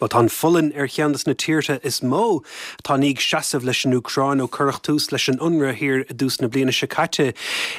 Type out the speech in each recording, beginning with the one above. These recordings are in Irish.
Bhuel, tá an Pholainn ar cheann de na tíortha is mó atá i ndiaidh seasamh leis an Úcráin ó cuireadh tús leis an ionradh thiar i dtús na bliana seo caite.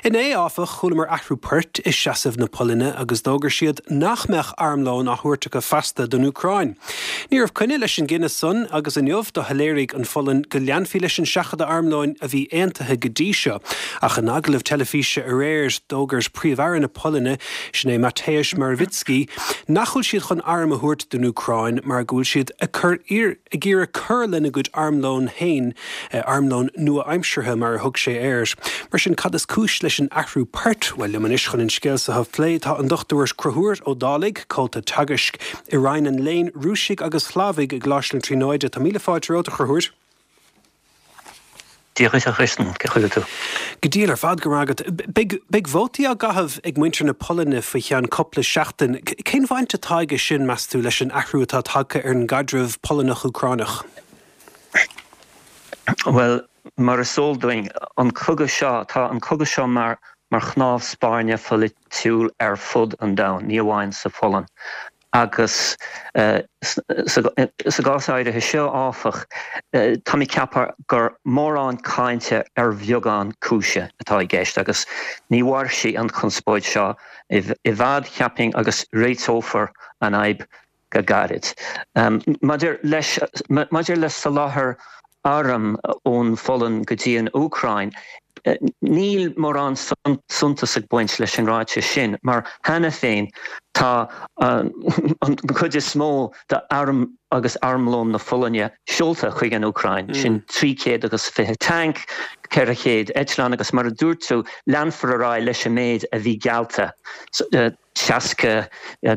Inné, áfach, chualamar athrú poirt i seasamh na Polainne agus d'fhógair siad nach mbeadh armlón á thabhairt acu feasta don Úcráin. Ní raibh coinne leis an gcinneadh san agus inniu do shoiléirigh an Pholainn go leanfaí leis an seachadadh armlóin a bhí aontaithe go dtí seo. Ach in agallamh teilifíse aréir, d'fhógair Príomh-Aire na Polainne, sin é Mateusz Morawiecki, nach bhfuil siad chun airm a thabhairt don Úcráin mar go bhfuil siad ag cur ag iarraidh cur lena gcuid armlóin féin, armlón nua-aimseartha mar a thug sé air. Mar sin, cad is cúis leis an athrú poirt? Bhuel, liom anois chun an scéal seo a phlé tá an Dr Conchúr Ó Dálaigh, Comhalta Teagaisc i Roinn an Léinn Rúisigh agus Shlavaigh i gColáiste na Tríonóide. Tá míle fáilte romhat, a Chonchúir. Dia dhuit a Chriostain, cén chaoi a bhfuil tú? Go diail ar fad, go raibh maith agat. Beidh, beidh vótaí á gcaitheamh ag muintir na Polainne faoi cheann cupla seachtain. Cén bhaint atá aige sin, meas tú, leis an athrú atá tagtha ar an gcaidreamh Polannach-Úcránach? Bhuel, mar is eol dúinn, an cogadh seo, tá an cogadh seo mar, mar chnámh spairne pholaitiúil ar fud an domhain, ní amháin sa Pholainn. Agus sa gcás áirithe seo, áfach, tá mé ag ceapadh gur mórán cainte ar bheagán cúise atá i gceist agus ní mhairfidh an chonspóid seo i bhfad, cheapfainn, agus réiteofar an fhadhb go gairid. Maidir leis, maidir le soláthar arm ón Pholainn go dtí an Úcráin, níl mórán suntais ag baint leis an ráiteas sin mar cheana féin tá an chuid is mó d'airm agus armlón na Polainne seolta chuig an Úcráin, sin 320 tanc, 400 eitleán agus mar a dúirt tú, leanfar ar aghaidh leis an méid a bhí geallta. 60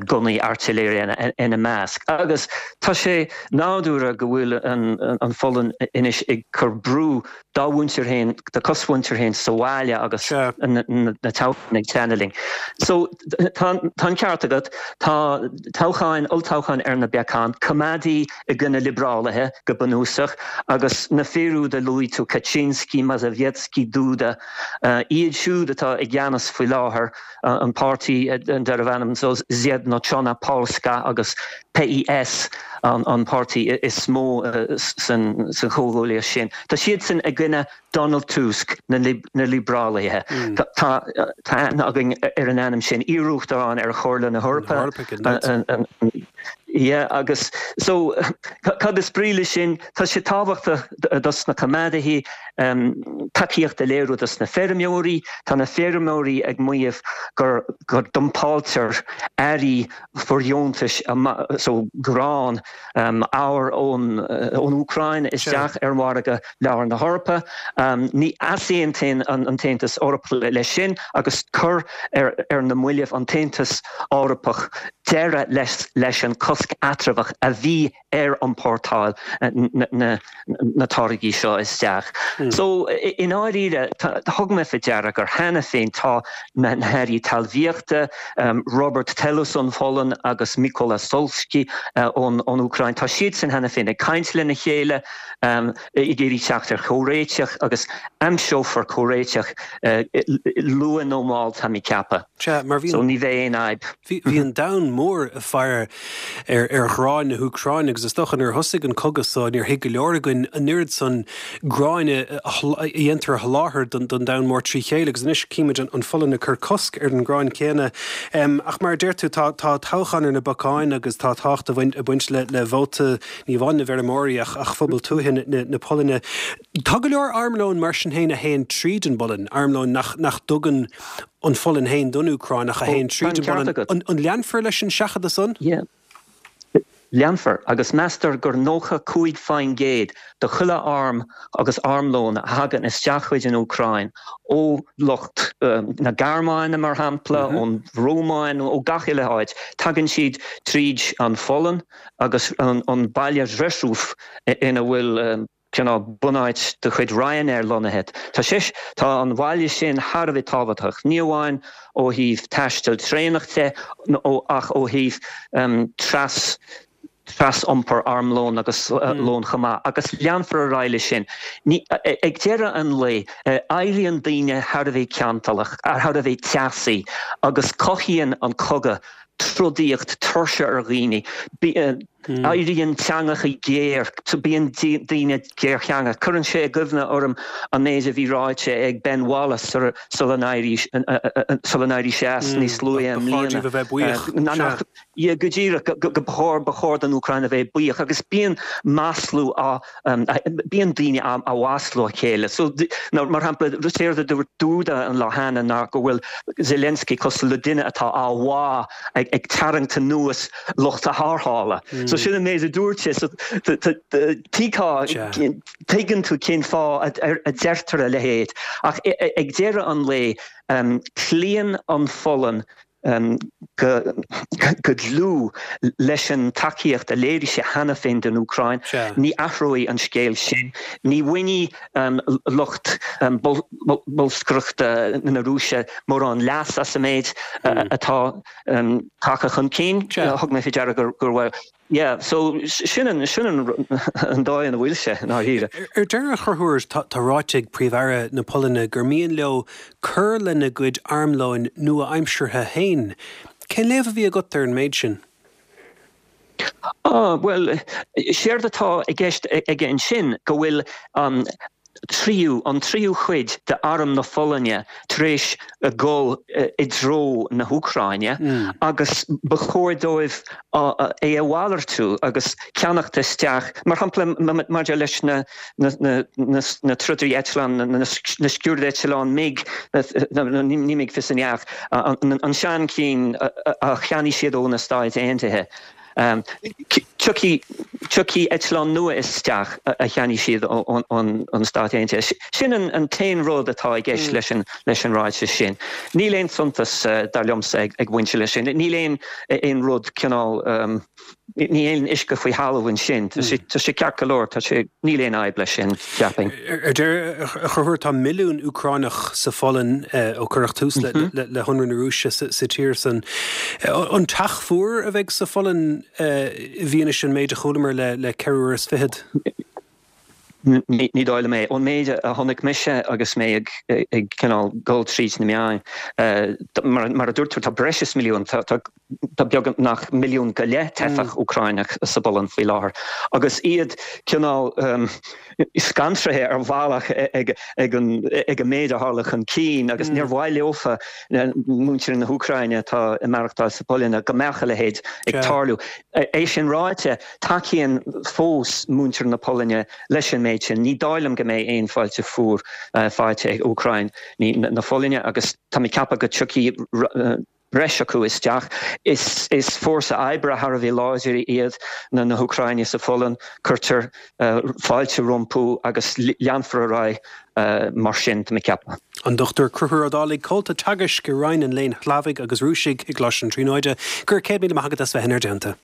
gunnaí airtléire ina measc. Agus tá sé nádúrtha go bhfuil an Pholainn anois ag cur brú dá mhuintir féin, dá cosmhuintir féin sa bhaile agus na toghcháin ag teannadh linn. So tá an ceart agat, tá toghcháin, olltoghcháin ar na bacáin, coimeádaí i gcoinne liobrálaithe go bunúsach agus na fir úd a luaigh tú, Kaczynski, Mazowiecki, Duda, iad siúd atá i gceannas faoi láthair. an páirtí darbh ainm Zjednoczona Polska agus PiS an páirtí is mó san chomhghuaillíocht sin. Tá siadsan i gcoinne Donald Tusk, na liobrálaithe. Tá aithne againn ar an ainm sin, iar-uachtarán ar Chomhairle na hEorpa. Yeah, agus so cad is brí leis sin? Tá sé tábhachtach dos na coimeádaithe tacaíocht a léiriú dos na feirmeoirí. Tá na feirmeoirí ag maíomh gur go dumpáiltear earraí fóirdheontais so grán, arbhar ón Úcráin isteach ar mhargadh lár na hEorpa. Ní easaontaíonn an tAontas Eorpach leis sin agus chuir ar na mallaibh an tAontas Eorpach deireadh leis an cosc eatramhach a bhí ar iompórtáil na táirgí seo isteach. So, i ndáiríre, thug mé faoi deara gur cheana féin tá na hairí talmhaíochta, Robert Telus ón Pholainn agus Mykola Solsky ón Úcráin, tá siadsan cheana féin ag caint lena chéile, ag iarraidh teacht ar chomhréiteach agus aimseofar comhréiteach luath nó mall, tá mé ag ceapadh. So ní bheidh aon fhadhb. Bhí an domhan mór ag faire ar ghráin na hÚcráine agus is dócha nuair a thosaigh an cogadh so níor thuig go leor againn an oiread san gráin a dhéantar a sholáthar don domhan mór trí chéile agus anois címid an Pholainn ag cur cosc ar an ngrán céanna. Ach mar a deir tú tá toghchán ar na bacáin agus tá tábhacht ag baint le vóta ní amháin na bhfeirmeoirí ach phobal tuaithe na Polainne. Tá go leor armlóin mar sin féin a théann tríd an bPolainn, armlóin nach dtugann an Pholainn féin don Úcráin ach a théann tríd an bPolainn. An leanfar leis an seachadadh san? Yeah. Leanfar, agus meastar gur 95% de chuile arm agus armlón a thagann isteach chuig an Úcráin ó lucht na Gearmáine, mar shampla, ón Rómáin, ó gach uile áit, tagann siad tríd an Pholainn agus an baile Rzeszów ina bhfuil cineál bunáit de chuid Ryanair lonnaithe. Tá sé, tá an bhaile sin thar a bheith tábhachtach, ní amháin ó thaobh taisteal traenach de ach ó thaobh tras, tras-iompar armlóin agus lóin chomh maith, agus leanfar ar aghaidh leis sin. Ní, ag deireadh an lae, éiríonn daoine thar a bheith cantalach, thar a bheith teasaí agus cothaíonn an cogadh trodaíocht, tuirse ar dhaoine. Éiríonn teangacha géar, bíonn daoine géartheangach. Cuireann sé i gcuimhne orm an méid a bhí ráite ag Ben Wallace sula n-éirigh sé as níos luaithe i mbliana. Ba chóir díobh a bheith buíoch. Yeah, go díreach, go ba chóir, ba chóir don Úcráin a bheith buíoch agus bíonn maslú á, bíonn daoine á mhaslú a chéile. So, mar shampla, séard a dúirt Duda an lá cheana ná go bhfuil Zelensky cosúil le duine atá á bhá ag tarraingt anuas lucht a tharrthála. So sin an méid a dúirt sé. So, tuigfeá, tuigeann tú cén fáth a deirtear a leithéid. Ach ag deireadh an lae, cloíonn an Pholainn go dlúth leis an tacaíocht a léirigh sé cheana féin don Úcráin. Ní athróidh an scéal sin. Ní bhainfidh lucht bolscaireachta na Rúise mórán leas as an méid atá tagtha chun cinn. Thug mé faoi deara go raibh Yeah, so sin an, sin an, an dóigh ina bhfuil sé, i ndáiríre. Ar deireadh, a Chonchúir, tá, tá ráite ag Príomh-Aire na Polainne gur mian leo cur lena gcuid armlóin nua-aimseartha féin. Cén léamh a bhí agat ar an méid sin? Ah, bhuel, séard atá i gceist aige ansin go bhfuil an, tríú, an tríú cuid de arm na Polainne tar éis dhul i dtreo na hÚcráine agus ba chóir dóibh é a mhalartú agus ceannacht isteach, mar shampla maidir leis na na trodairí eitleán, na sciúrd-eitleáin MiG, ní MiG 29, an seanchinn a cheannaigh siad ó na Stáit Aontaithe. Tiocfaidh eitleán nua isteach a cheannaigh siad ón Stáit Aontaithe. Sin an t-aon rud atá i gceist leis an ráiteas sin. Níl aon suntas, dar liomsa, ag baint leis sin. Níl aon rud cineál, ní aon uisce faoi thalamh ansin. Tá sé ceart go leor, tá sé, níl aon fhadhb leis sin, cheapfainn. Ar deireadh, a Chonchúir, tá milliún Úcránach sa Pholainn ó cuireadh tús le hionradh na Rúise sa tír san. An teach fuar a bheidh sa Pholainn i bhfianaise an méid a chualamar le ceithre uair is fichead? Ní dóigh liom é. Ón méid a chonaic mise agus mé ag cineál dul tríd na meáin, mar a dúirt tú, tá breis is milliún, tá Tá beagnach milliún go leith teifeach Úcráineach sa bPolainn faoi láthair agus iad cineál scanraithe ar bhealach ag an méid a tharla chun cinn agus níor mhaith leofa, muintir na hÚcráine atá ag maireachtáil sa Pholainn, go mbeadh a leithéid ag tarlú. É sin ráite, tacaíonn fós muintir na Polainne leis an méid sin. Ní dóigh liom go mbeidh aon fáilte fuar faighte ag Úcráin na Polainne agus tá mé ag ceapadh go dtiocfaidh breis acu isteach. Is fórsa oibre thar a bheith láidir iad na hÚcráinigh sa Pholainn. Cuirtear fáilte rompu agus leanfar ar aghaidh mar sin, tá mé ag ceapadh. An Dr Conchúr Ó Dálaigh, Comhalta Teagaisc i Roinn an Léinn Shlavaigh agus Rúisigh i gColáiste na Tríonóide. Go raibh 100,000 maith agat as bheith inár dteannta.